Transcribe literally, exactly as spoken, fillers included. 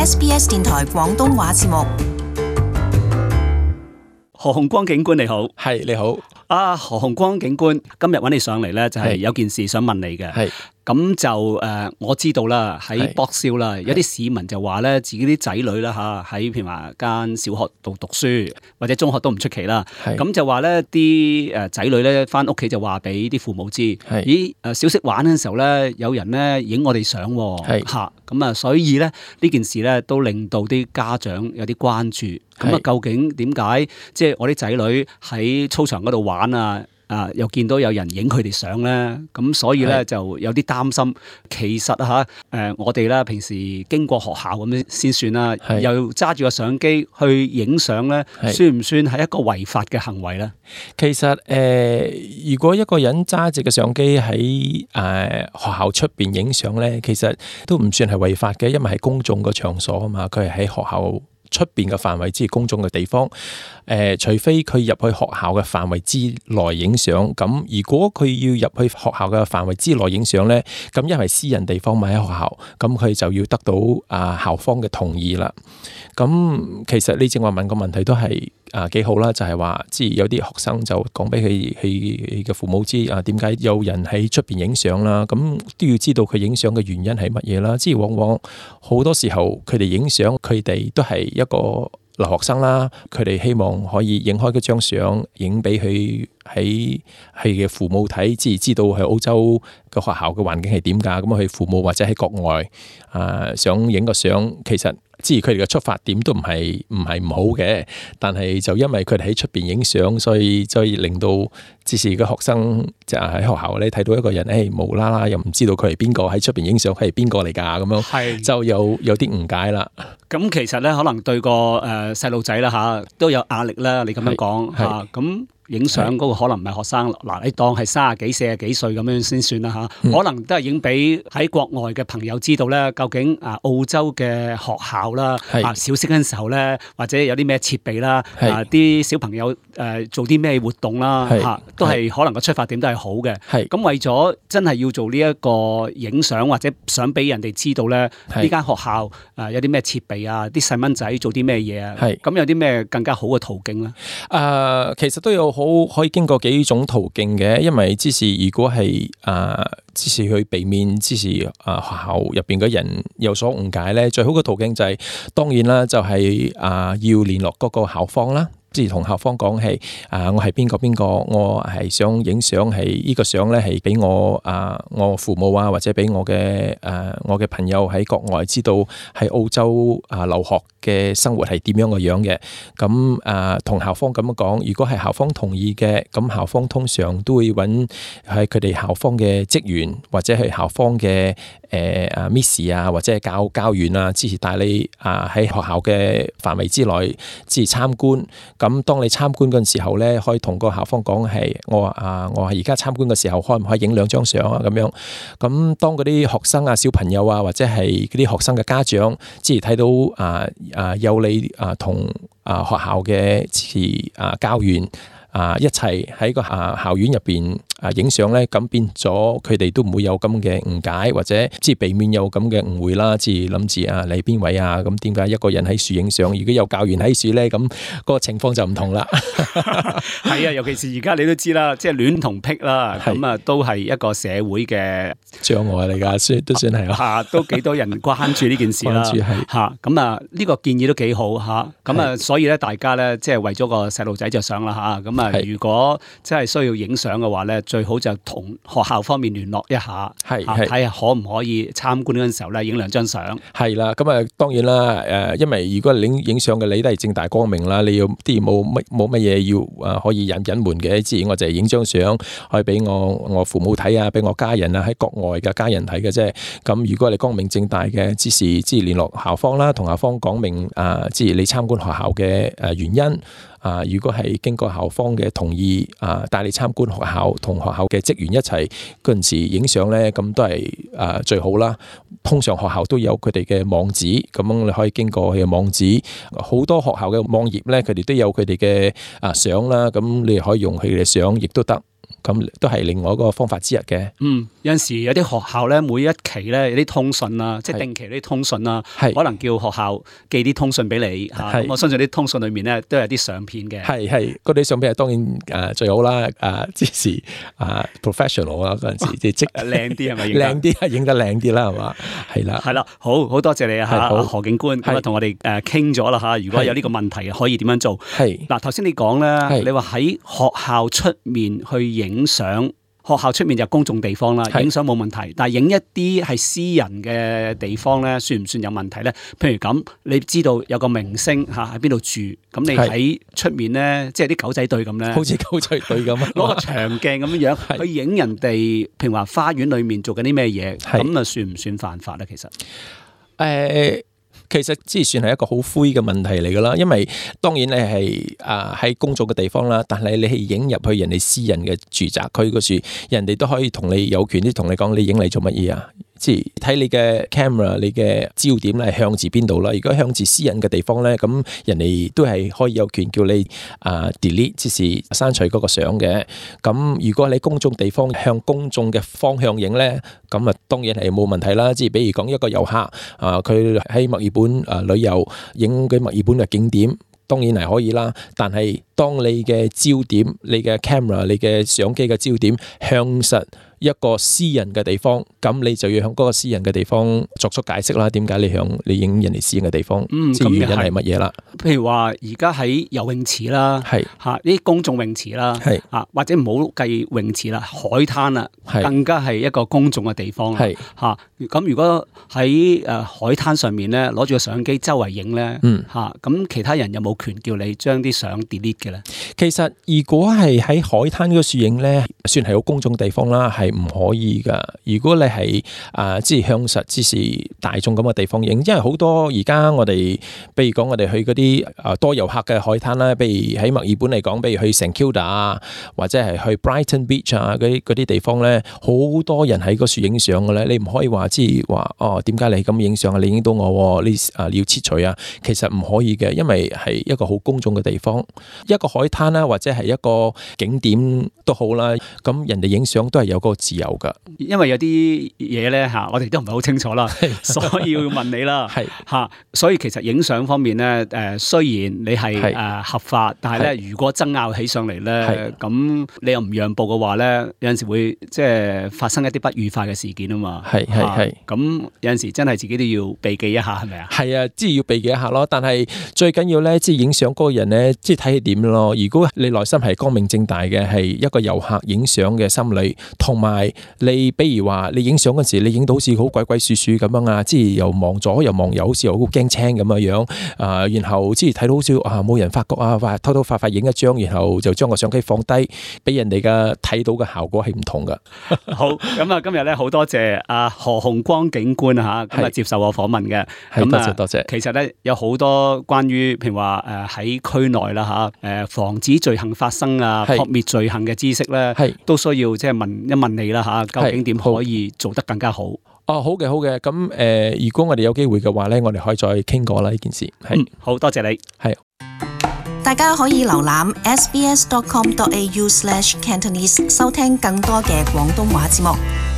S B S 電台廣東話節目。何鴻光警官你好。係你好。啊，何鴻光警官，今日揾你上嚟咧，就係有件事想問你嘅。係。咁就誒、呃，我知道啦，喺博少啦，有啲市民就話咧，自己啲仔女啦嚇，喺譬如話間小學度讀書，或者中學都唔出奇啦。咁就話咧，啲誒仔女咧翻屋企就話俾啲父母知，咦誒小息玩嘅時候咧，有人咧影我哋相喎嚇。咁啊，所以咧呢件事咧都令到啲家長有啲關注。咁啊，究竟點解即係我啲仔女喺操場嗰度玩啊？啊！又見到有人影佢哋相咧，咁所以咧就有啲擔心。其實嚇誒、呃，我哋咧平時經過學校咁樣先算啦，又揸住個相機去影相咧，算唔算係一個違法嘅行為咧？其實誒、呃，如果一個人揸住個相機喺誒、呃、學校出邊影相咧，其實都唔算係違法嘅，因為係公眾個場所啊嘛，佢係喺學校出邊嘅範圍之公眾嘅地方，誒、呃，除非佢入去學校嘅範圍之內影相，咁如果佢要入去學校嘅範圍之內影相咧，咁因為私人地方咪喺學校，咁佢就要得到啊校方嘅同意啦。咁其實你正話問個問題都係啊幾好啦，就係話即係有啲學生就講俾佢佢嘅父母知啊，點解有人喺出邊影相啦？咁都要知道佢影相嘅原因係乜嘢啦。即係往往好多時候佢哋影相，佢哋都係一個留學生啦，佢哋希望可以影開嗰張相，影俾佢喺佢嘅父母睇，即係知道喺澳洲個學校嘅環境係點㗎。咁佢父母或者喺國外啊、呃，想影個相，其實即係佢哋嘅出發點都唔係唔係唔好嘅，但係就因為佢哋喺出邊影相，所以所以令到即係個學生就喺學校咧睇到一個人，誒、哎、無啦啦又唔知道佢係邊個喺出邊影相，佢係邊個嚟㗎咁樣，就有有啲誤解啦。咁其實咧，可能對個誒細路仔啦嚇都有壓力啦。你咁樣講嚇，咁影相嗰個可能唔係學生，嗱你當係三十幾、四十幾歲咁樣先算啦嚇、嗯。可能都係影俾喺國外嘅朋友知道咧，究竟啊澳洲嘅學校啦，啊小息嗰陣時候咧，或者有啲咩設備啦，啊啲小朋友誒、呃、做啲咩活動啦嚇，都係可能個出發點都係好嘅。咁為咗真係要做呢一個影相，或者想俾人哋知道咧，呢間學校誒有啲咩設備啊，啲細蚊仔做啲咩嘢啊，咁有啲咩更加好嘅途徑咧？誒、呃，其實都有好可以經過幾種途徑嘅，因為之是如果係誒，之是去避免之是誒學校入邊嘅人有所誤解咧，最好嘅途徑就係、是、當然啦，就係、是、誒、呃、要聯絡嗰個校方啦。即係同校方講係啊，我係邊個邊個，我係想影相，係呢個相咧係俾我啊，我父母啊，或者俾我嘅誒、啊、我嘅朋友喺國外知道喺澳洲啊留學嘅生活係點樣嘅樣嘅。咁啊，同校方咁樣講，如果係校方同意嘅，咁校方通常都會揾係佢哋校方嘅職員或者係校方嘅誒啊 Miss 啊，或者係教教員啊，支持帶你啊喺學校嘅範圍之內支持參觀。咁當你參觀嗰陣時候咧，可以同個校方講係我話啊，我係而家參觀嘅時候，可唔可以影兩張相啊？咁樣咁當嗰啲學生啊、小朋友啊，或者係嗰啲學生嘅家長，即係睇到啊啊有你啊同啊學校嘅支啊教員啊一齊喺個啊校園入邊啊影相咧，咁變咗佢哋都唔會有咁嘅誤解，或者即係避免有咁嘅誤會啦。即係諗住啊你邊位啊？咁點解一個人喺樹影相？如果有教員喺樹咧，咁個情況就唔同啦。係啊，尤其是而家你都知啦，即係戀同癖啦，咁啊都係一個社會嘅障礙嚟㗎，算都算係啦。嚇，都幾多人關注呢件事啦。嚇，咁啊呢個建議都幾好嚇。咁啊，所以咧大家咧即係為咗個細路仔着想啦嚇。咁啊，如果真係需要影相嘅話咧，最好就同學校方面聯絡一下，係睇下可唔可以參觀嗰陣時候咧影兩張相。係啦，咁啊當然啦，誒，因為如果你影相嘅你都係正大光明啦，你要啲冇乜冇乜嘢要誒可以隱隱瞞嘅，自然我就係影張相可以俾我我父母睇啊，俾我家人啊喺國外嘅家人睇嘅啫。咁如果你光明正大嘅，之時即係聯絡校方啦，同校方講明啊，即係你參觀學校嘅誒原因。啊！如果係經過校方嘅同意，啊帶你參觀學校，同學校嘅職員一齊嗰陣時影相咧，咁都係啊最好啦。通常學校都有佢哋嘅網址，咁你可以經過佢嘅網址。好多學校嘅網頁咧，佢哋都有佢哋嘅啊相啦，咁你可以用佢哋嘅相，亦都得。咁都係另外一個方法之一嘅。嗯，有陣時有啲學校咧，每一期咧有啲通訊啊，即係定期啲通訊啊，可能叫學校寄啲通訊俾你嚇。咁我相信啲通訊裏面咧都有啲相片嘅。係係，嗰啲相片係當然誒最好啦。誒即時啊 professional 啊嗰陣時，即係即靚啲係咪？靚啲啊，影得靚啲啦係嘛？係啦。係啦，好好多謝你啊嚇，何警官咁啊同我哋誒傾咗啦嚇。如果有呢個問題可以點樣做？係嗱，頭先你講咧，你話喺學校出面去影相。學校出面就公眾地方啦，影相冇問題。但係影一啲係私人嘅地方咧，算唔算有問題咧？譬如咁，你知道有個明星嚇喺邊度住，咁你喺出面咧，即係啲狗仔隊咁咧，好似狗仔隊咁，攞個長鏡咁樣樣去影人哋，譬如話花園裏面做緊啲咩嘢，咁啊算唔算犯法咧？其實，誒、呃。其實即係算係一個好灰嘅問題嚟噶啦，因為當然你係啊喺公眾嘅地方啦，但係你係影入去人哋私人嘅住宅區嗰處，人哋都可以同你有權啲同你講，你影嚟做乜嘢啊？即係睇你嘅 camera， 你嘅焦點咧係向住邊度啦。如果向住私人嘅地方咧，咁人哋都係可以有權叫你啊 delete， 即係刪除嗰個相嘅。咁如果你公眾地方向公眾嘅方向影咧，咁啊當然係冇問題啦。即係比如講一個遊客啊，佢喺墨爾本啊旅遊，影佢墨爾本嘅景點，當然係可以啦。但係當你嘅焦點、你嘅 camera、你嘅相機嘅焦點向實一個私人嘅地方，咁你就要向嗰個私人嘅地方作出解釋啦。點解你向你影人哋私人嘅地方？嗯，即係原因係乜嘢啦？譬如話而家喺游泳池啦，係嚇呢啲公眾泳池啦，係啊，或者唔好計泳池啦，海灘啊，更加係一個公眾嘅地方啦。係嚇咁，如果喺誒海灘上面咧，攞住個相機周圍影咧，嗯嚇咁，其他人有冇權叫你將啲相 delete 嘅咧？其實如果係喺海灘嗰處影咧，算係好公眾地方啦，係唔可以噶。如果你係啊，即係向實之是大眾咁嘅地方影，因為好多而家我哋，比如講我哋去嗰啲啊多遊客嘅海灘啦，比如喺墨爾本嚟講，比如去 Saint Kilda 啊，或者係去 Brighton Beach 啊嗰啲嗰啲地方咧，好多人喺嗰處影相嘅咧。你唔可以話即係話哦，點解你咁影相啊？你影到我，你啊你要切除啊？其實唔可以嘅，因為係一個好公眾嘅地方，一個海灘啦，或者係一個景點都好啦。咁人哋影相都係有嗰個自由噶。因為有啲嘢咧嚇，我哋都唔係好清楚啦，所以要問你啦。係嚇，所以其實影相方面咧，誒雖然你係誒合法，但係咧如果爭拗起上嚟咧，咁你又唔讓步嘅話咧，有陣時會即係發生一啲不愉快嘅事件啊嘛。係係係。咁有陣時真係自己都要避忌一下，係咪啊？係啊，即係要避忌一下咯。但係最緊要咧，即係影相嗰個人咧，即係睇佢點咯。如果你內心係光明正大嘅，係一個遊客影相嘅心理，同埋你比如話你影相嗰時，你影到好似好鬼鬼祟祟咁樣啊，即係又望左又望右，好似好驚青咁嘅樣啊。然後即係睇到好似啊冇人發覺啊，話偷偷快快影一張，然後就將個相機放低，俾人哋嘅睇到嘅效果係唔同噶。好，咁啊今日咧好多謝阿何洪光警官啊吓，咁啊接受我訪問嘅。咁多謝多謝。其實咧有好多關於譬如話誒喺區內啦吓，誒防止罪行發生啊，撲滅罪行嘅知識咧，都需要即係問一問你啦吓，究竟點可以做得更加好？哦，好嘅，好嘅。咁誒、呃，如果我哋有機會嘅話咧，我哋可以再傾過啦呢件事。係、嗯，好多謝你。係，大家可以瀏覽 s b s dot com dot a u slash cantonese 收聽更多嘅廣東話節目。